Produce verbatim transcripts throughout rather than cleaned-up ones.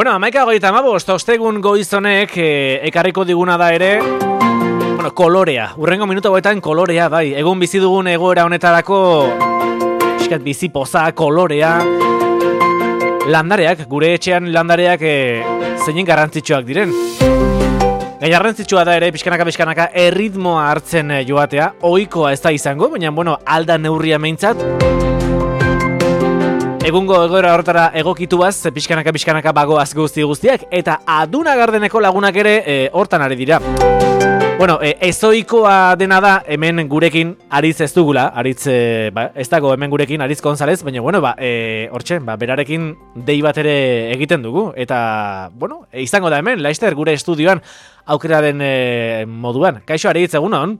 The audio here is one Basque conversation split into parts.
Bueno, amaika hogeita hamabost, ostegun goizonek e, ekarriko diguna da ere, bueno, kolorea. Urrengo minutu hauetan kolorea, bai. Egun bizi dugun egoera honetarako, eskat bizi poza, kolorea. Landareak, gure etxean landareak e, zeinen garrantzitsuak diren. Gai garrantzitsua da ere, pixkanaka-pixkanaka, erritmoa hartzen joatea. Ohikoa ez da izango, baina, bueno, alda neurria meintzat. Egungo egoera horretara egokituaz, pixkanaka-pixkanaka bagoaz guzti guztiak, eta Aduna Gardeneko lagunak ere e, hortan ari dira. Bueno, e, ezoikoa dena da hemen gurekin Aritz ez dugula, Aritz e, ba, ez dago hemen gurekin Aritz González, baina bueno, ba, e, hortxe, ba, berarekin dei bat ere egiten dugu, eta, bueno, e, izango da hemen, Laister, gure estudioan aukeraren e, moduan. Kaixo Aritz, egunon?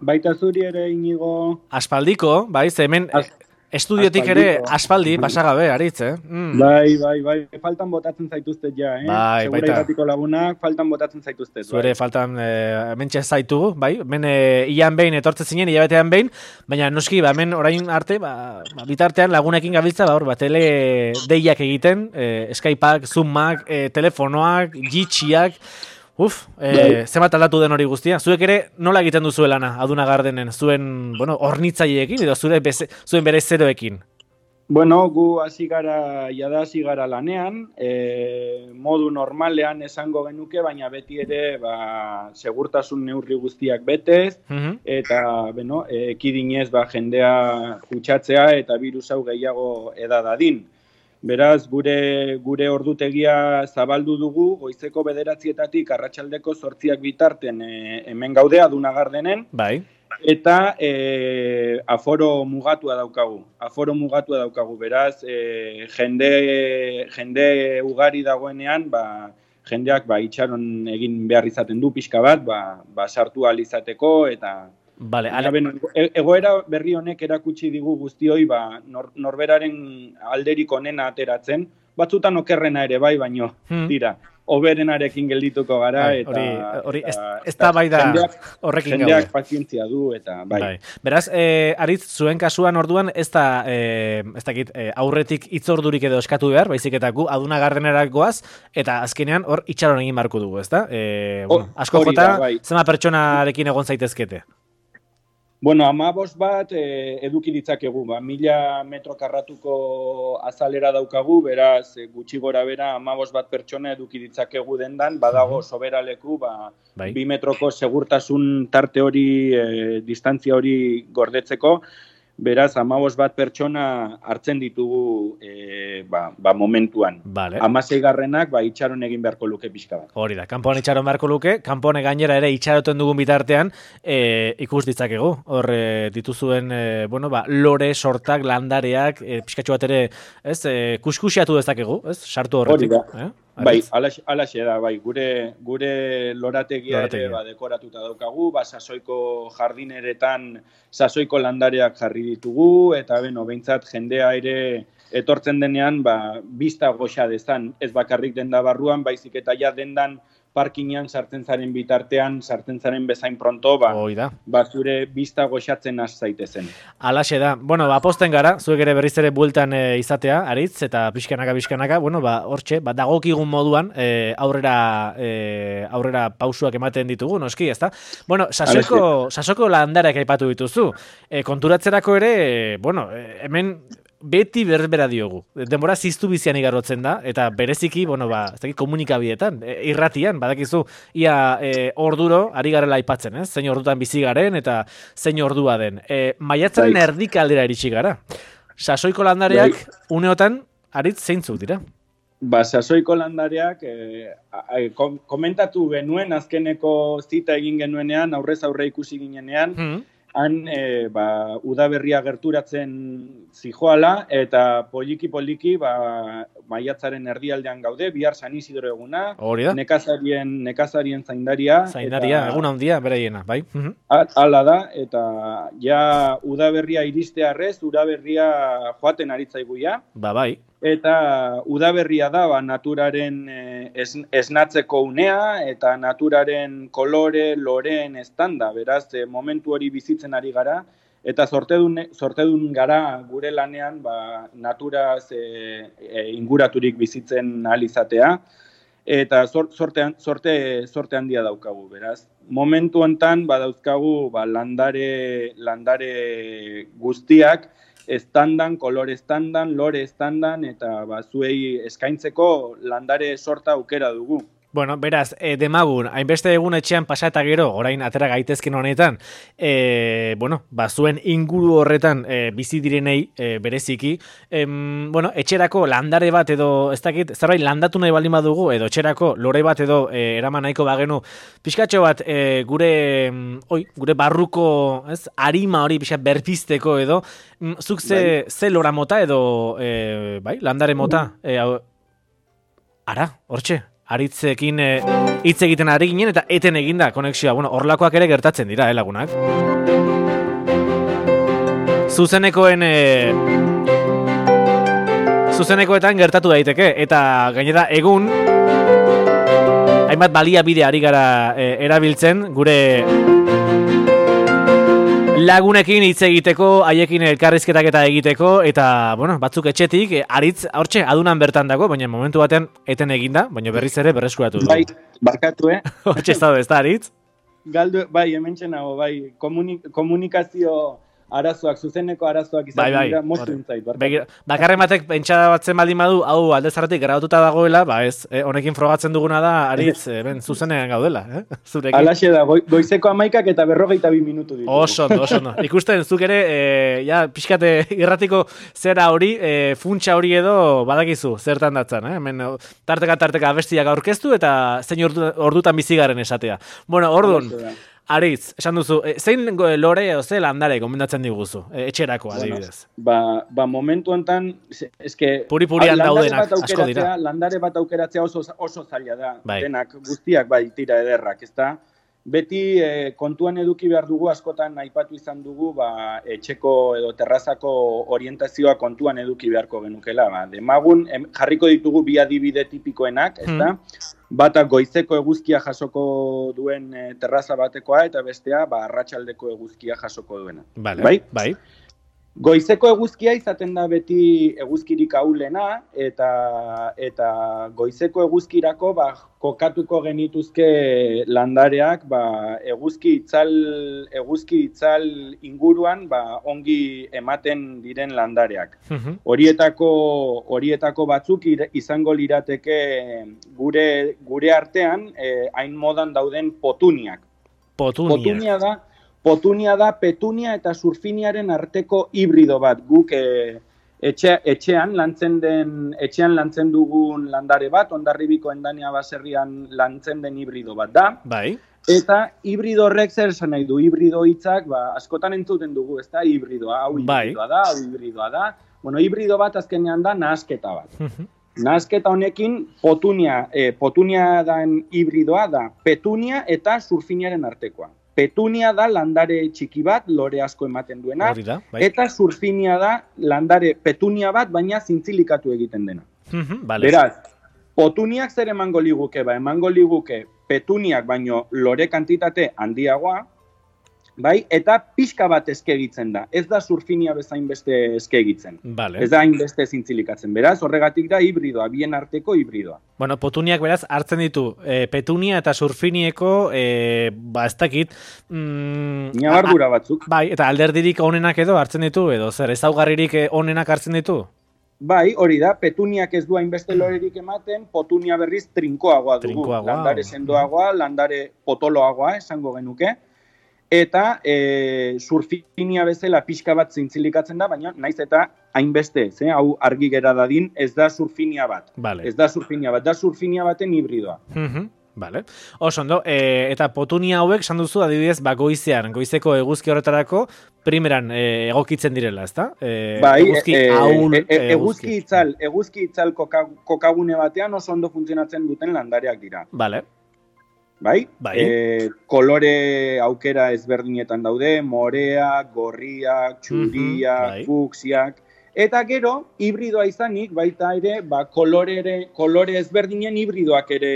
Baita zuri ere, Inigo. Aspaldiko, bai, ze hemen... As Estudiotik ere aspaldi, pasagabe, Aritz, eh? Mm. Bai, bai, bai, faltan botatzen zaituzte ja, eh? Bai, Segura irratiko lagunak, faltan botatzen zaituzte. Zuere bai. Faltan e, mentxe zaitugu, bai? Men e, ian behin, etortze zinen, hilabetean behin, baina noski, ba, hemen orain arte, ba, ba, bitartean lagunekin gabiltza, ba, hor, ba, tele deiak egiten, e, Skypeak, Zoomak, e, telefonoak, jitxiak, uf, e, zenbat aldatu den hori guztia. Zuek ere nola egiten duzu lana Aduna Gardenen, zuen, bueno, hornitzaileekin edo zure beze, zuen bere zeroekin? Bueno, gu hasi gara, jada hasi gara lanean, e, modu normalean esango genuke, baina beti ere ba, segurtasun neurri guztiak betez, uh-huh. eta bueno, e, ekidinez ba, jendea kutsatzea eta virus hau gehiago edadadin. Beraz, gure gure ordutegia zabaldu dugu, goizeko bederatzietatik arratsaldeko zortziak bitarten e, hemen gaude Aduna Gardenen. Bai. Eta e, aforo mugatua daukagu. Aforo mugatua daukagu. Beraz, e, jende, jende ugari dagoenean, ba, jendeak ba, itxaron egin behar izaten du pixka bat, ba, ba, sartu ahal izateko eta... Vale, ale... ben, egoera berri honek erakutsi digu guztioi ba, nor, norberaren alderik onena ateratzen, batzutan okerrena ere bai, baino, hmm. tira, oberenarekin geldituko gara, bai, eta... Hori, ez, ez da bai da horrekin gaude. Jendeak pazientzia du, eta bai. bai. Beraz, eh, Aritz, zuen kasuan orduan, ez da, eh, ez dakit, eh, aurretik itzordurik edo eskatu behar, baizik eta gu Aduna Gardenera goaz, eta azkenean hor itxaron egin barko dugu, ez da? Eh, bueno, asko jota, bai. Zema pertsonarekin egon zaitezkete? Bueno, amabos bat e, eduki ditzakegu, ba, mila metro karratuko azalera daukagu, beraz gutxi gora bera amabos bat pertsona eduki ditzakegu dendan, badago soberaleku, ba, bai. bi metroko segurtasun tarte hori, e, distantzia hori gordetzeko, beraz amabos bat pertsona hartzen ditugu e, ba, ba momentuan. Vale. Hamasei garrenak ba, itxaron egin beharko luke pixka bat. Hori da, kanpoan itxaron beharko luke, kanpoan gainera ere itxaroten dugun bitartean e, ikus ditzakegu. Hor e, dituzuen e, bueno, ba, lore, sortak, landareak, e, pixkatxo bat ere, ez, e, kuskusiatu dezakegu, ez, sartu horretik. Hori da. Eh? Bai, alaxe da, bai, gure, gure lorategia, lorategia. ere ba, dekoratuta daukagu, ba, sasoiko jardineretan sasoiko landareak jarri ditugu, eta beno, behintzat jendea ere etortzen denean, ba, bista goxa dezan, ez bakarrik denda barruan, baizik eta ja dendan parkinean sartzen zaren bitartean, sartzen zaren bezain pronto, ba, ba zure bista goxatzen has zaitezen. Alaxe da. Bueno, ba, posten gara, zuek ere berriz ere bueltan e, izatea, Aritz, eta pixkanaka, pixkanaka, bueno, ba, hortxe, ba, dagokigun moduan, e, aurrera, e, aurrera pausuak ematen ditugu, noski, ezta? Bueno, sasoko, sasoko landareak aipatu dituzu. E, konturatzerako ere, e, bueno, e, hemen, beti berbera diogu. Denbora ziztu bizian igarrotzen da, eta bereziki, bueno, ba, ez dakit komunikabietan, e, irratian, badakizu, ia e, orduro, ari garela aipatzen, ez? Zein ordutan bizi garen, eta zein ordua den. E, maiatzaren erdik aldera iritsi gara. Sasoiko landareak, Dai. uneotan, Aritz, zeintzuk dira? Ba, sasoiko landareak, e, a, kom, komentatu genuen, azkeneko zita egin genuenean, aurrez aurre ikusi ginenean, hmm. Han, e, ba, udaberria gerturatzen zijoala, eta poliki-poliki, ba, maiatzaren erdialdean gaude, bihar San Isidro eguna, nekazarien, nekazarien zaindaria. Zaindaria, eta, eguna handia, beraiena, bai? Hala da, eta ja udaberria iristearrez, udaberria joaten aritzaigu ja. Ba, bai. Eta udaberria da, ba, naturaren es, esnatzeko unea, eta naturaren kolore, loreen estanda, beraz, e, momentu hori bizitzen ari gara, eta sortedun, sortedun gara gure lanean ba, naturaz e, e, inguraturik bizitzen ahal izatea, eta sorte, sorte, sorte handia daukagu, beraz. Momentu hontan badauzkagu ba, landare, landare guztiak, estandan, kolore estandan, lore estandan, eta ba, zuei eskaintzeko landare sorta aukera dugu. Bueno, beraz, e, demagun, hainbeste egun etxean pasa eta gero, orain atera gaitezken honetan, e, bueno, ba, zuen inguru horretan e, bizi direnei e, bereziki, e, bueno, etxerako landare bat edo, ez dakit, zerbait landatu nahi baldin badugu, edo etxerako lore bat edo e, eraman nahiko bagenu, pixkatxo bat e, gure, oi, gure barruko, ez, arima hori pixka berpizteko edo, zuk ze, bai. ze lora mota edo, e, bai, landare mota, e, ara, hortxe. Aritzekin hitz e, egiten ari ginen eta eten eginda konexioa. Bueno, horlakoak ere gertatzen dira, eh, lagunak. Zuzenekoen... E, zuzenekoetan gertatu daiteke. Eta gainera egun... hainbat baliabide ari gara e, erabiltzen, gure... lagunekin hitz egiteko, haiekin elkarrizketak eta egiteko, eta, bueno, batzuk etxetik, aritz, hortxe, adunan bertan dago, baina momentu batean eten eginda, baina berriz ere berreskuratu du. Bai, barkatu, eh? Hortxe ez da, ez da, aritz? Galdu, bai, hemen txenago, bai, komunik, komunikazio arazoak, zuzeneko arazoak izaten bai, bai. dira, moztu intzait. Bakarren batek pentsa batzen baldin badu, hau alde zarratik grabatuta dagoela, ba ez, eh, honekin frogatzen duguna da, aritz, eh, ben, zuzenean gaudela, eh? Zurekin. Alaxe da, go, goizeko amaikak eta berrogeita bi minutu ditu. Oso, oso, no. Ikusten, zuk ere, eh, ja, pixkate irratiko zera hori, eh, funtsa hori edo, badakizu, zertan datzan, eh? Hemen, tarteka, tarteka abestiak aurkeztu eta zein ordu, ordutan bizigaren esatea. Bueno, orduan, Aritz, esan duzu, e, zein lore o ze landare gomendatzen diguzu, e, etxerako adibidez? Bueno, ba, ba momentu hontan, eske puri-purian daudenak asko dira. Landare bat aukeratzea oso, oso zaila da, bai. Denak guztiak bai tira ederrak, ezta? Beti e, kontuan eduki behar dugu, askotan aipatu izan dugu, ba, etxeko edo terrazako orientazioa kontuan eduki beharko genukela. Ba, demagun, em, jarriko ditugu bi adibide tipikoenak, ezta? Hmm. Bata goizeko eguzkia jasoko duen e, terraza batekoa, eta bestea ba, arratsaldeko eguzkia jasoko duena. Vale, bai? Bai. Goizeko eguzkia izaten da beti eguzkirik ahulena, eta, eta goizeko eguzkirako ba, kokatuko genituzke landareak ba, eguzki itzal, eguzki itzal inguruan ba, ongi ematen diren landareak. Uh-huh. Horietako, horietako batzuk izango lirateke gure, gure artean eh, hain modan dauden potuniak. Potuniak. Potunia da, Potunia da petunia eta surfiniaren arteko hibrido bat. Guk e, etxe, etxean lantzen den etxean lantzen dugun landare bat, Hondarribiko Endania baserrian lantzen den hibrido bat da. Bai. Eta hibrido horrek zer esan nahi du? Hibrido hitzak, ba, askotan entzuten dugu, ezta? Hibridoa, hau hibridoa da, hau hibridoa da. Bueno, hibrido bat azkenean da nahasketa bat. Nahasketa honekin potunia, eh, potunia den hibridoa da petunia eta surfiniaren artekoa. Petunia da landare txiki bat, lore asko ematen duena, da, bai. Eta surfinia da landare petunia bat, baina zintzilikatu egiten dena. Vale. Beraz, potuniak zer emango liguke, ba, emango liguke petuniak baino lore kantitate handiagoa, bai, eta pixka bat eskegitzen da. Ez da surfinia bezain beste eskegitzen. Vale. Ez da hainbeste zintzilikatzen. Beraz, horregatik da hibridoa, bien arteko hibridoa. Bueno, potuniak beraz hartzen ditu e, petunia eta surfinieko, e, ba ez dakit... Mm, Ñabardura batzuk. Bai, eta alderdirik onenak edo hartzen ditu, edo zer, ezaugarririk onenak hartzen ditu? Bai, hori da, petuniak ez du hainbeste lorerik ematen, potunia berriz trinkoagoa dugu. Trinkoagoa. Landare sendoagoa, landare potoloagoa, esango genuke. Eta e, surfinia bezala pixka bat zintzilikatzen da, baina naiz eta hainbeste, ze, hau argi gera dadin, ez da surfinia bat. Vale. Ez da surfinia bat, da surfinia baten hibridoa. Uh-huh. Vale. Oso ondo, e, eta potunia hauek, esan duzu, adibidez, ba, goizean, goizeko eguzki horretarako, primeran e, egokitzen direla, ezta? E, bai, eguzki e, ahul, e, e, eguzki itzal, eguzki itzal koka, kokagune batean oso ondo funtzionatzen duten landareak dira. Vale. Bai? Bai. E, kolore aukera ezberdinetan daude, moreak, gorriak, txuriak, uh-huh, bai. fuksiak, eta gero, hibridoa izanik, baita ere, ba, kolore, kolore ezberdinen hibridoak ere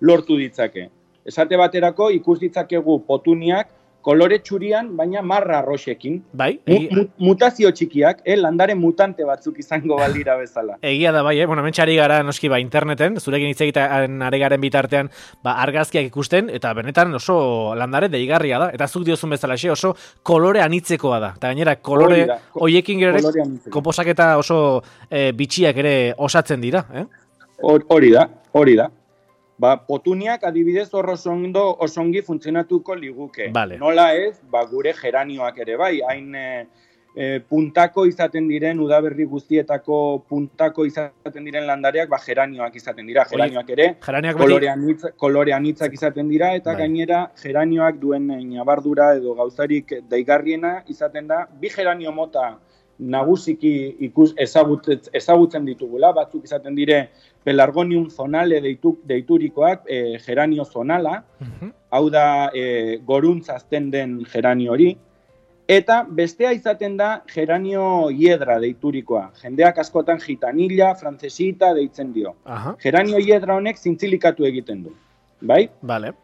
lortu ditzake. Esate baterako, ikus ditzakegu potuniak kolore txurian, baina marra arroxekin. Bai, egi... mu, mutazio txikiak, eh, landare mutante batzuk izango balira bezala. Egia da bai, eh? Bueno, mentxari gara noski ba interneten, zurekin hitz egiten ari garen bitartean, ba argazkiak ikusten eta benetan oso landare deigarria da eta zuk diozun bezala xe, oso kolore anitzekoa da. Eta gainera kolore hoiekin gero ere konposaketa oso e, bitxiak ere osatzen dira, eh? Hori da, hori da. Ba, potuniak adibidez hor osondo osongi funtzionatuko liguke. Vale. Nola ez, ba, gure geranioak ere bai, hain e, e, puntako izaten diren, udaberri guztietako puntako izaten diren landareak, ba, geranioak izaten dira. Geranioak ere, kolore, anitz, kolore anitzak izaten dira, eta bai. Gainera geranioak duen nabardura edo gauzarik deigarriena izaten da, bi geranio mota nagusiki ikus ezagutzen, ezagutzen ditugula, batzuk izaten dire pelargonium zonale deitu, deiturikoak, e, geranio zonala, uh-huh. Hau da e, goruntz azten den geranio hori, eta bestea izaten da geranio hiedra deiturikoa. Jendeak askotan gitanilla, francesita deitzen dio. Uh-huh. Geranio hiedra honek zintzilikatu egiten du. Bai? Vale.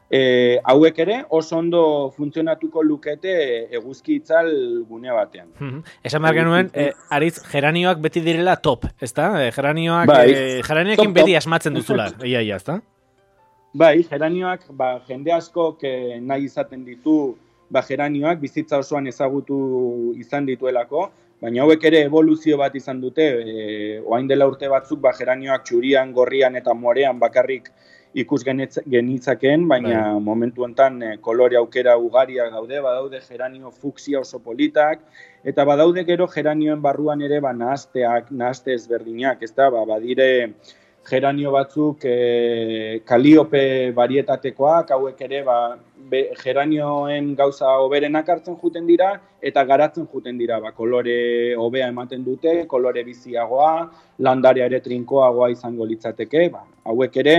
E, hauek ere oso ondo funtzionatuko lukete eguzki itzal gune batean. Mm-hmm. Esan behar genuen, e, aritz, geranioak beti direla top, ezta? E, geranioak, bai, e, geranioekin beti asmatzen duzula, ia, ia, ezta? Bai, geranioak, ba, jende askok e, nahi izaten ditu, ba, geranioak bizitza osoan ezagutu izan dituelako, baina hauek ere evoluzio bat izan dute, e, oain dela urte batzuk, ba, geranioak txurian, gorrian eta morean bakarrik ikus genitzakeen, baina bai. Momentu honetan e, kolore aukera ugaria gaude, badaude geranio fuksia oso politak, eta badaude gero geranioen barruan ere ba, nahazteak, nahazte ezberdinak, ez da, ba, badire geranio batzuk e, kaliope varietatekoak, hauek ere ba, be, geranioen gauza hoberenak hartzen juten dira, eta garatzen juten dira, ba, kolore hobea ematen dute, kolore biziagoa, landarea ere trinkoagoa izango litzateke, ba, hauek ere,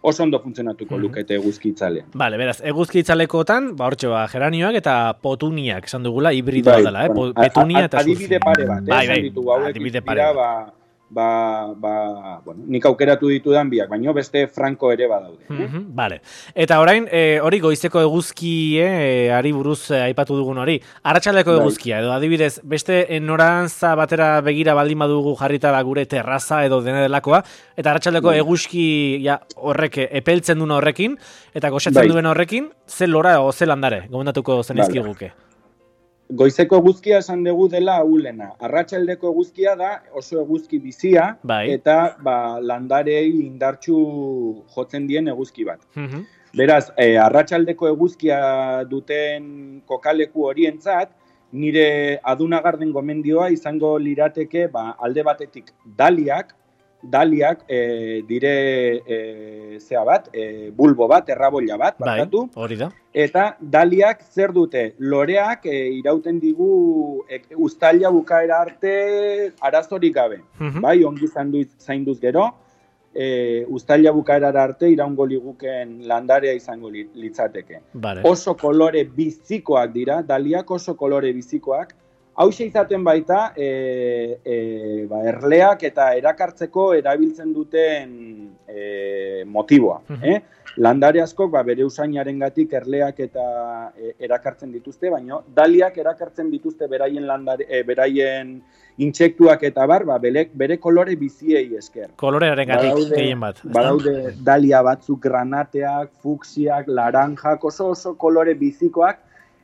oso ondo funtzionatuko lukete eguzki itzalean. Vale, beraz, eguzki itzalekotan, ba, hortxe, ba, geranioak eta potuniak, esan dugula, hibridoa bai, dela, eh? Bueno, petunia eta zuzia. Adibide pare bat, eh? Bai, bai, ditugu, hauek adibide pare bat. Ba, ba, ba, bueno, nik aukeratu ditudan biak, baino beste franko ere badaude. Mm -hmm, vale. Eta orain, e, hori goizeko eguzki, e, ari buruz e, aipatu dugun hori, arratsaldeko bai. Eguzkia, edo adibidez, beste e, norantza batera begira baldin badugu jarrita ba, gure terraza edo dena delakoa, eta arratsaldeko bai. Eguzki ja, horrek epeltzen duen horrekin, eta goxatzen bai. Duen horrekin, ze lora o ze landare, gomendatuko zenizkiguke. Vale. Goizeko eguzkia esan dugu dela ahulena. Arratsaldeko eguzkia da oso eguzki bizia bai. Eta ba, landarei indartsu jotzen dien eguzki bat. Mm-hmm. Beraz, e, arratsaldeko eguzkia duten kokaleku horientzat, nire adunagarden gomendioa izango lirateke ba, alde batetik daliak, daliak e, dire e, zea bat, e, bulbo bat, errabolla bat, barkatu. Bai, hori da. Eta daliak zer dute? Loreak e, irauten digu e, uztaila bukaera arte arazorik gabe. Uh-huh. Bai, ongi zainduz gero, e, uztaila bukaera arte iraungo liguken landarea izango litzateke. Vale. Oso kolore bizikoak dira, daliak oso kolore bizikoak. Hauxe izaten baita, e, e, ba, erleak eta erakartzeko erabiltzen duten e, motiboa. Uh-huh. eh? Landare askok ba, bere usainarengatik erleak eta e, erakartzen dituzte, baina daliak erakartzen dituzte beraien, landare, e, beraien intsektuak eta bar, ba, bere, bere kolore biziei esker. Kolorearengatik gehien bat. Badaude dalia batzuk granateak, fuksiak, laranjak, oso oso kolore bizikoak,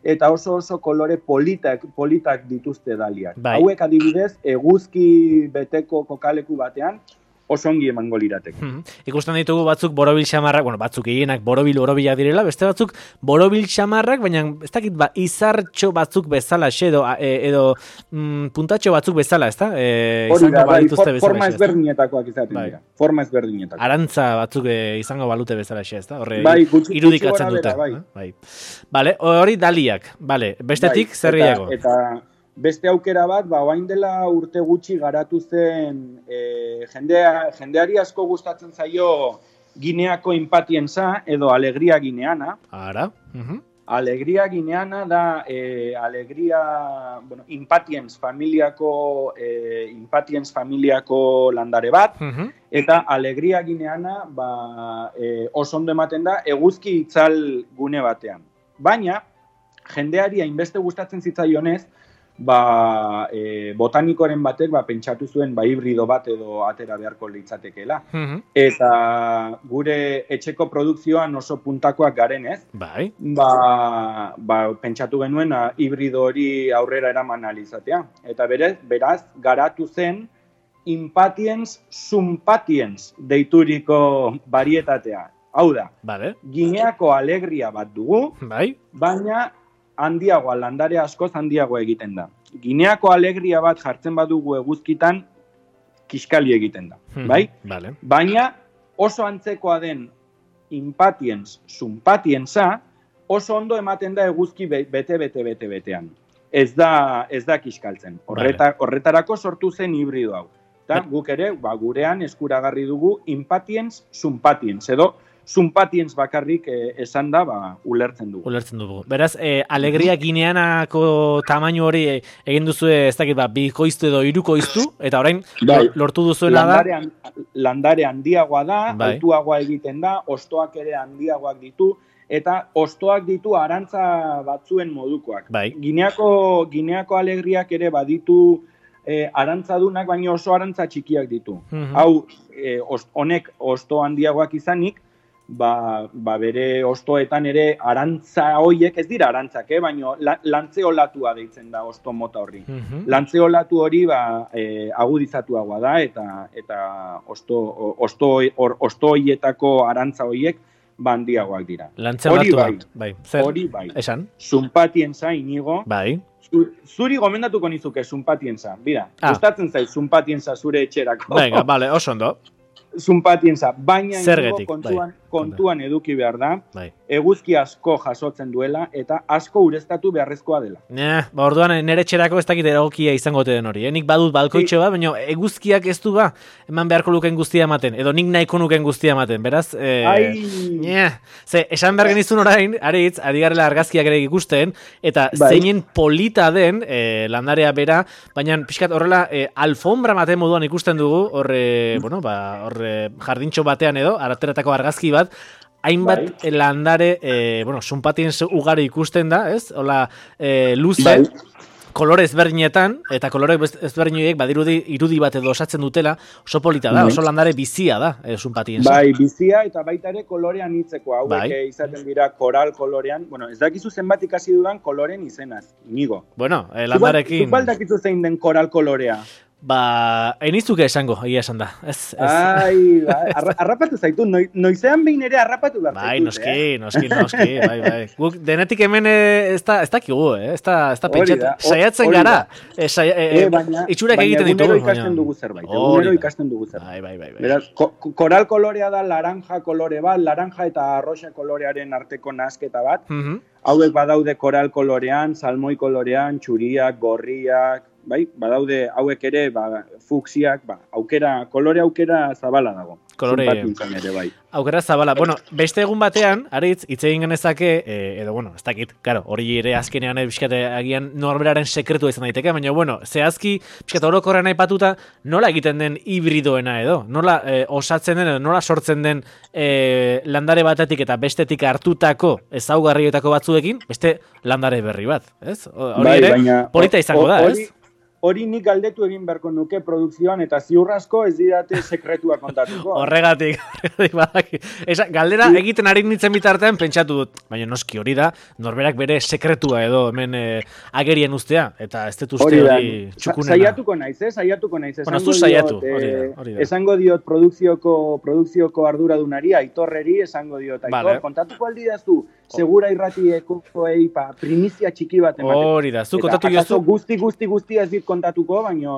eta oso oso kolore politak, politak dituzte daliak. Bai. Hauek adibidez, eguzki beteko kokaleku batean, oso ongi emango lirateke. Hmm. Ikusten ditugu batzuk borobil xamarrak, bueno, batzuk gehienak borobil borobilak direla, beste batzuk borobil xamarrak, baina ez dakit ba, izartxo batzuk bezala, edo, edo mm, puntatxo batzuk bezala, ez da? E, Hori da, bai, for, forma ezberdinetakoak izaten bai. Dira. Forma ezberdinetakoak. Arantza batzuk e, izango balute bezala, ez da? Horre bai, gutxi, irudikatzen gutxi dute. Bai. Bai. Vale, hori daliak, vale. Bestetik, bai, zer gehiago? Eta, eta beste aukera bat, ba, oain dela urte gutxi garatu zen e, jendea, jendeari asko gustatzen zaio Gineako inpatienza edo alegria gineana. Ara. Uh-huh. Alegria gineana da e, alegria, bueno, impatiens familiako e, impatiens familiako landare bat. Uh-huh. Eta alegria gineana ba, e, oso ondo ematen da eguzki itzal gune batean. Baina, jendeari hainbeste gustatzen zitzaionez, ba, e, botanikoren batek ba, pentsatu zuen ba, hibrido bat edo atera beharko litzatekeela. Mm-hmm. Eta gure etxeko produkzioan oso puntakoak garen ez, bai. ba, ba, pentsatu genuen a, hibrido hori aurrera eraman alizatea. Eta berez, beraz, garatu zen Impatiens Sumpatiens deituriko varietatea. Hau da, vale. Gineako alegria bat dugu, bai. baina handiagoa, landare askoz handiagoa egiten da. Gineako alegria bat jartzen badugu eguzkitan, kiskali egiten da, hmm, bai? Vale. Baina oso antzekoa den Impatiens Sumpatiensa oso ondo ematen da eguzki bete-bete-bete-betean. Ez da, ez da kiskaltzen. Horreta, vale. Horretarako sortu zen hibrido hau. Eta guk ere, ba, gurean eskuragarri dugu Impatiens Sumpatiens, edo Sumpatiens bakarrik eh, esan da, ba, ulertzen dugu. Ulertzen dugu. Beraz, eh, alegria gineanako tamainu hori eh, egin duzu ez dakit, ba, bikoiztu edo hirukoiztu, eta orain bai. Lortu duzuena landare, da... Landare handiagoa da, bai. Altuagoa egiten da, hostoak ere handiagoak ditu, eta hostoak ditu arantza batzuen modukoak. Bai. Gineako, gineako alegriak ere baditu eh, arantzadunak, baina oso arantza txikiak ditu. Mm-hmm. Hau, eh, honek hosto handiagoak izanik, Ba, ba bere hostoetan ere arantza hoiek, ez dira arantzak, eh? Baina la, lantzeolatua deitzen da hosto mota horri. Mm-hmm. Lantzeolatu hori ba, e, agudizatuagoa da, eta eta hosto, hosto, or, hosto hoietako arantza hoiek ba handiagoak dira. Lantzeolatu bai, bai. Zer? Hori bai. Esan? Sumpatiensa, Inigo. Bai. Zuri gomendatuko nizuke Sumpatiensa. Bira, ah. Gustatzen zait Sumpatiensa zure etxerako. Venga, vale, oso ondo. Sumpatiensa, baina Zergetik, kontuan, bai. kontuan eduki behar da, bai. Eguzki asko jasotzen duela eta asko ureztatu beharrezkoa dela. Ne, ba, orduan nere txerako ez dakit egokia izango den hori. Eh? Nik badut balkoitxo bat, baina eguzkiak ez du ba, eman beharko luken guztia ematen, edo nik nahiko nuken guztia ematen, beraz? Eh, Ai! Ze, esan behar genizun orain, aritz, ari garela argazkiak ere ikusten, eta bai. Zeinen polita den eh, landarea bera, baina pixkat horrela eh, alfombra maten moduan ikusten dugu, horre, bueno, ba, horre jardintxo batean edo, arateratako argazki bat, hainbat bai. Landare, eh, bueno, Sumpatiens ugari ikusten da, ez? Hola, eh, luze, bai. Kolore ezberdinetan, eta kolore ezberdinoiek badirudi irudi bat edo osatzen dutela, oso polita da, oso landare bizia da, eh, Sumpatiensa. Bai, bizia eta baita ere kolorean hitzeko, hauek bai. Izaten dira koral kolorean, bueno, ez dakizu zenbat ikasi dudan koloren izenaz, Inigo. Bueno, eh, landarekin... Zubal dakizu zein den koral kolorea? Ba, enizuke esango, egia esan da. Ez, ez. Ai, ba, arra, arrapatu zaitu, noi, noizean behin ere arrapatu behar bai, zaitu. Bai, noski, eh? noski, noski, bai, bai. Guk denetik hemen ez da, ez dakigu, eh? Ez da, ez da pentsatu. Saiatzen gara, e, saia, e, e, baina, itxurak baina egiten ditugu. Baina egunero ikasten dugu zerbait, egunero ikasten dugu zerbait. Bai, bai, bai. bai. Beraz, ko, koral kolorea da laranja kolore bat, laranja eta arroxa kolorearen arteko nasketa bat. Mm-hmm. Hauek badaude koral kolorean, salmoi kolorean, txuriak, gorriak, bai, badaude hauek ere, ba, fuksiak, ba, aukera, kolore aukera zabala dago. Kolore ere, bai. Aukera zabala. Bueno, beste egun batean, aritz, hitz egin genezake, eh, edo, bueno, ez dakit, karo, hori ere azkenean bizkate agian norberaren sekretua izan daiteke, baina, bueno, zehazki, bizkate orokorrean aipatuta, nola egiten den hibridoena edo, nola eh, osatzen den, edo nola sortzen den eh, landare batetik eta bestetik hartutako ezaugarrietako batzuekin, beste landare berri bat, ez? Hori bai, ere, baina, polita izango da, ez? Hori nik galdetu egin beharko nuke produkzioan eta ziurrasko ez didate sekretua kontatuko. Horregatik, horregatik badaki. Esa, galdera sí. Egiten ari nintzen bitartean pentsatu dut, baina noski hori da, norberak bere sekretua edo hemen eh, agerien ustea, eta ez dut uste hori txukunena. Saiatuko naiz, eh? Saiatuko naiz. Bueno, zu saiatu, hori da, hori da. Esango diot produkzioko, produkzioko arduradunari, Aitorreri, esango diot, Aitor, vale. Kontatuko aldi dazu, segura irratieko eipa, primizia txiki bat ematen. Hori da, zu kontatu jozu. Guzti, guzti, guzti ez dit kontatuko, baina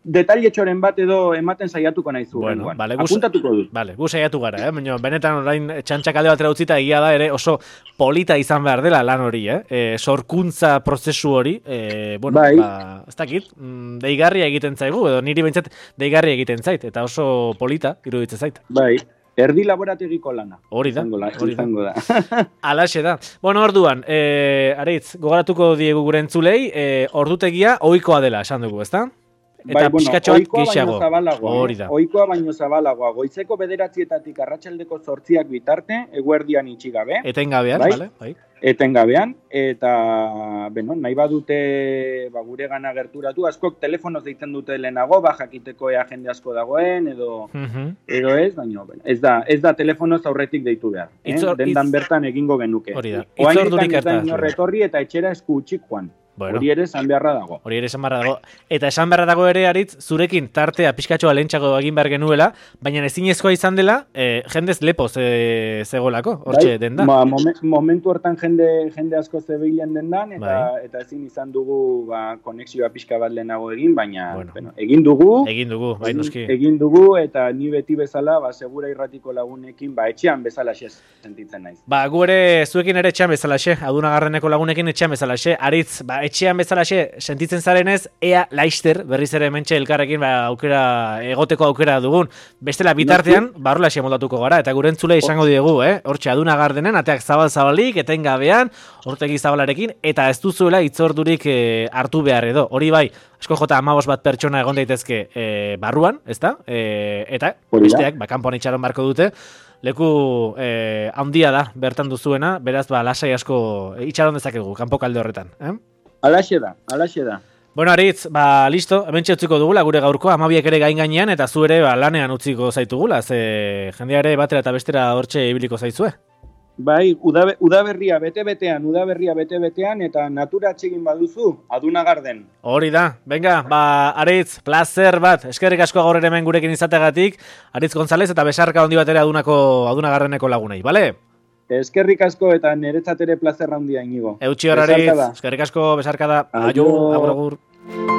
detailetxoren bat edo ematen saiatuko naizu. Bueno, vale, apuntatuko dut. Vale, gu saiatu gara, eh? Baina benetan orain txantxakale bat utzita egia da ere oso polita izan behar dela lan hori, eh? E, sorkuntza prozesu hori, e, bueno, bai. Ba, ez dakit, deigarria egiten zaigu, edo niri behintzat deigarria egiten zait, eta oso polita iruditzen zait. Bai. Erdi laborategiko lana. Hori da, hori da. Alaxe da. Bueno, orduan, eh, aritz, gogoratuko diegu gure entzulei, eh, ordutegia ohikoa dela, esan dugu, ezta? eta bai, bueno, pixkatxo bat ohikoa gehiago. baino zabalagoa, Hori eh? da. Ohikoa baino zabalagoa. Goizeko bederatzietatik arratsaldeko zortziak bitarte, eguerdian itxi gabe. Etengabean, bai? Vale? Bai. Etengabean, eta, bueno, nahi badute ba, gure gana gerturatu, askok telefonoz deitzen dute lehenago, ba, jakiteko ea jende asko dagoen, edo, Uh-huh. edo ez, baina, bueno, ez da, ez da telefonoz aurretik deitu behar. Eh? Itzor- Dendan itz- bertan egingo genuke. Hori da. Oraindik Itzordurik ez da hartaz, inor bai. etorri eta etxera esku utxik joan. Bueno. Hori ere esan beharra dago. Hori ere esan beharra dago. Eta esan beharra dago ere, Aritz, zurekin tartea pixkatxoa lehentxako egin behar genuela, baina ezinezkoa izan dela, eh, jendez lepo ze, zegolako, hortxe Bai, denda. ma, momen- momentu hortan jende jende asko zebilen dendan, eta Bai. eta ezin izan dugu ba, konexioa pixka bat lehenago egin, baina Bueno. bueno, egin dugu, Egin dugu, bai noski. egin dugu, eta ni beti bezala, ba, segura irratiko lagunekin, ba, etxean bezala sentitzen naiz. Ba, gu ere zuekin ere etxean bezalaxe, Adunagarreneko lagunekin etxean bezalaxe, Aritz, ba, etxean bezalaxe sentitzen zarenez, ea laister, berriz ere hementxe elkarrekin ba, aukera, egoteko aukera dugun. Bestela bitartean, barrulaxe moldatuko gara, eta gure entzule izango diegu, eh? Hortxe Adunagardenen, ateak zabal-zabalik, etengabean, hortegi zabalarekin, eta ez duzuela itzordurik eh, hartu behar edo. Hori bai, asko jota amabos bat pertsona egon daitezke eh, barruan, ezta? Eh, eta Hori da. besteak, ba, kanpoan itxaron barko dute, leku eh, handia da bertan duzuena, beraz, ba, lasai asko eh, itxaron dezakegu, kanpo kalde horretan. Eh? Alaxe da, alaxe da. Bueno, Aritz, ba, listo, hementxe utziko dugula gure gaurko, amabiak ere gain gainean, eta zu ere ba, lanean utziko zaitugula, ze jendea ere batera eta bestera hortxe ibiliko zaizue. Bai, udabe, udaberria bete-betean, udaberria bete-betean, eta natura atsegin baduzu, Adunagarden. Hori da, venga, ba, Aritz, placer bat, eskerrik asko gaur ere hemen gurekin izategatik, Aritz González eta besarka handi bat ere adunako, Adunagarreneko lagunei, bale? Eskerrik asko eta niretzat ere plazer handia inigo. Eutxi hor, Aritz, eskerrik asko, besarka da, aio, agur, agur.